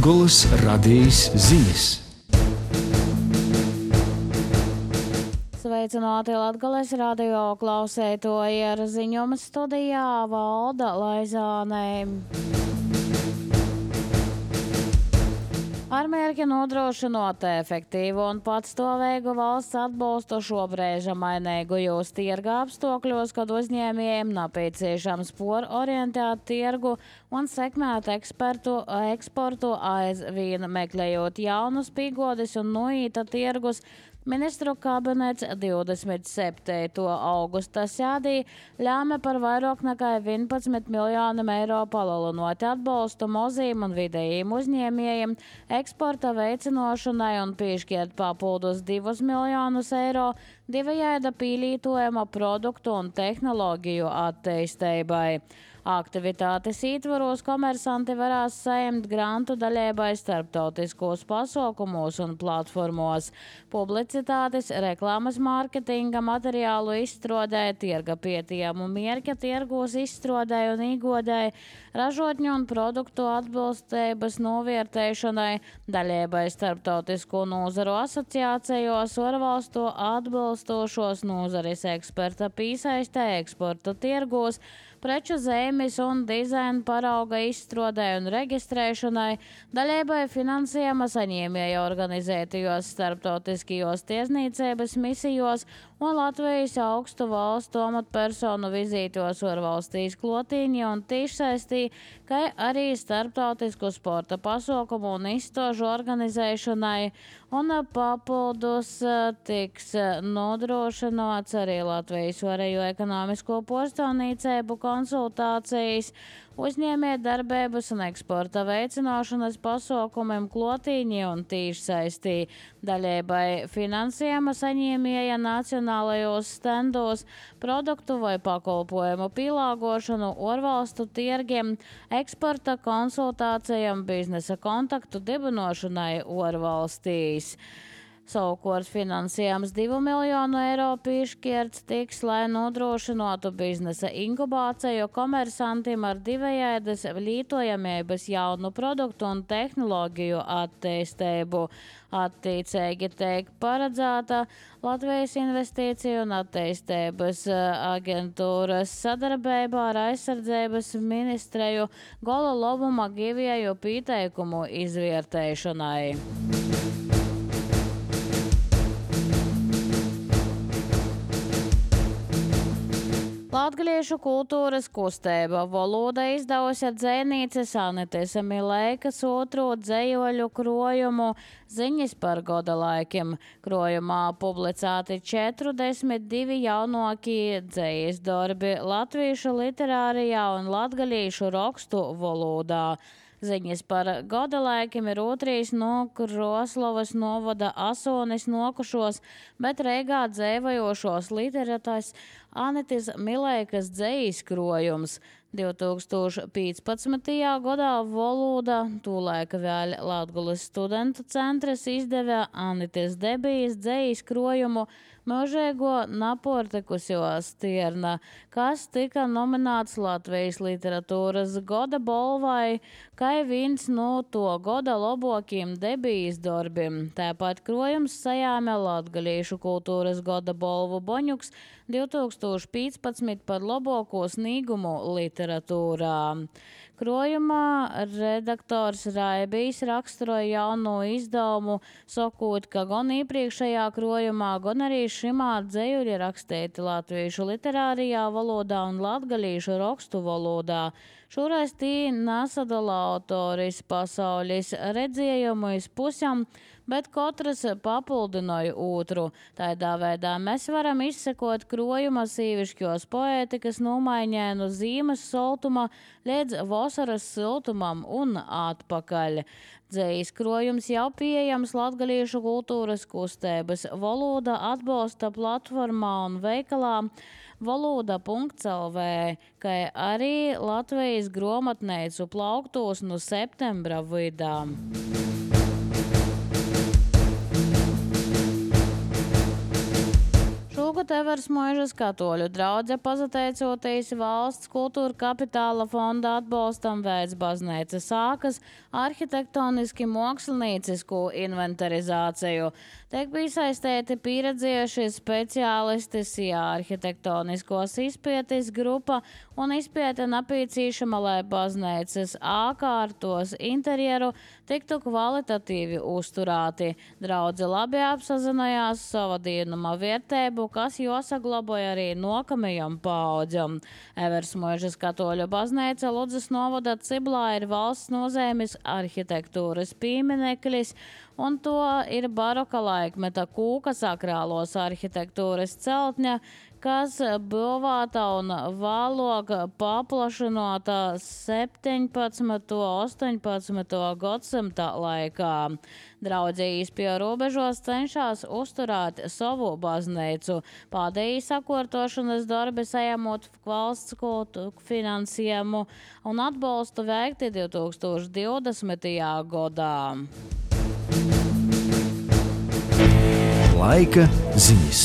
Latgolas radijas ziņas. Sveicināti Latgales radio klausētoji, ar ziņojumu studijā Valda Laizāne. Ar mērķi nodrošinot efektīvu un patstāvīgu valsts atbalstu šobrīd mainīgajos tirga apstākļos, kad uzņēmējiem nepieciešams orientēt tirgu un sekmēt eksportu aizvien meklējot jaunus pīgodis un noīta tirgus. Ministru kabinets 27. augusta sēdī lēma par vairāk nekā 11 miljoniem eiro palielinot atbalstu maziem un vidējiem uzņēmējiem eksporta veicināšanai un piešķirt papildus 2 miljonus eiro divējāda pielietojama produktu un tehnoloģiju attīstībai. Aktivitātes ietvaros komersanti varēs saņemt grantu daļēbai starptautiskos pasaukumos un platformos, publicitātes, reklāmas mārketinga materiālu izstrādē, tirga pētījumu mērķa tirgos izstrādē un iegādē, ražotņu un produktu atbilstības novērtēšanai, daļēbai starptautisko nozaru asociācijos, ārvalstu atbilstošos nozares eksperta piesaistē, eksporta tirgos, preču zīmes un dizaina parauga izstrādē un reģistrēšanai, daļēbai finansējuma saņēmēju organizētajos starptautiskajos tiesniecības misijos un Latvijas augstu valstu amatpersonu vizītos ārvalstīs klotīņi un tiešsaistī, kā arī starptautisku sporta pasaukumu un izstāžu organizēšanai, un papildus tiks nodrošināts arī Latvijas varējo ekonomisko pārstāvniecību konsultācijas, uzņēmējdarbības un eksporta veicināšanas pasaukumiem klotīņi un tiešsaistī, daļēbai finansējuma saņēmēja nacionālajos stendos, produktu vai pakalpojumu pielāgošanu ārvalstu tirgiem, eksporta konsultācijām, biznesa kontaktu dibināšanai ārvalstīs. Savukārt finansējums 2 miljonu eiro piešķirts tiks, lai nodrošinātu biznesa inkubāciju komersantiem ar divējādas lietojamības jaunu produktu un tehnoloģiju attīstību. Attiecīgi tiek paredzēta Latvijas investīciju un attīstības aģentūras sadarbībā ar aizsardzības ministreju gola labuma givēju pieteikumu izvērtēšanai. Latgaliešu kultūras kustība Valoda izdevusi dzejnieces Anites Milēkas otro dzejoļu krojumu Ziņas par goda laikiem. Krojumā publicēti 42 jaunākie dzejas darbi latviešu literārijā un latgaliešu rakstu valodā. Ziņas par goda laikiem ir otrais no Kroslavas novada Asonis nokušos, bet Reigā dzēvojošos literatās Anites Milēkas dzejas krojums. 2015. gadā Valoda, tūlaika vēl Latgulas studentu centrs, izdevē Anites debijas dzejas krojumu Mūžēgo naportekusijo stirna, kas tika nominēts Latvijas literatūras goda balvai, kā viens no to goda labākajiem debijas darbiem. Tāpat krojums sajāmē Latgaliešu kultūras goda balvu Boņuks 2015 par labāko sniegumu literatūrā. Krojumā redaktors Raibijs raksturoja jauno izdevumu, sakot, ka gan iepriekšējā krojumā, gan arī šimā dzejuļi rakstīti latviešu literārijā valodā un latgaliešu rakstu valodā. Šoreiz tī nesadala autoris pasaules redzējumu iz pusēm, bet katrs papildināja otru. Tādā veidā mēs varam izsekot krojuma sīvišķos poētikas nomaiņai no zīmes soltuma līdz vasaras siltumam un atpakaļ. Dzejas krojums jau pieejams Latgaliešu kultūras kustības Valoda atbalsta platformā un veikalā valoda.lv, kā arī Latvijas grāmatnīcu plauktos no septembra vidām. Tāpat Eversmuižas katoļu draudze pateicoties valsts kultūra kapitāla fonda atbalstam veids baznīcas sākas arhitektoniski māksliniecisku inventarizāciju. Tiek piesaistīti pieredzējuši speciālisti, arhitektoniskos izpētes grupa un izpēte nepieciešama, lai baznīcas ākārtos interjeru tiktu kvalitatīvi uzturēti. Draudze labi apsazinājās sava dienuma vērtību, kas jāsaglaboja arī nākamajam paaudzam. Eversmuižas katoļu baznīca Ludzas novada Ciblā ir valsts nozīmes arhitektūras piemineklis, un to ir baroka laikmeta kūka sakrālos arhitektūras celtņa, kas būvēta un vēlāk paplašinota 17. un 18. gadsimta laikā. Draudzījis pie robežos cenšas uzturēt savu baznīcu. Pēdējī sakārtošanas darbi saņemot valsts finansējumu un atbalstu veikti 2020. gadā. Laika ziņas.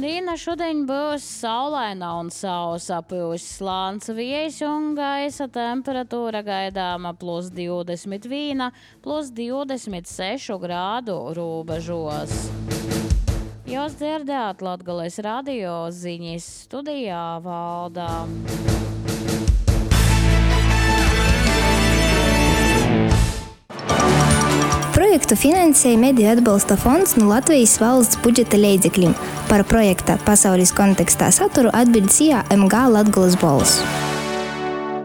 Diena šodien būs saulaina un sausa, pūs slāns vējš un gaisa temperatūra gaidāma +21, +26 grādu robežos. Jūs dzirdējāt Latgales radio ziņas, studijā Valda. Projektu finansēja Mediju atbalsta fonds no Latvijas valsts budžeta līdzekļiem. Par projekta pasaules kontekstā saturu atbild MG Latgales balss.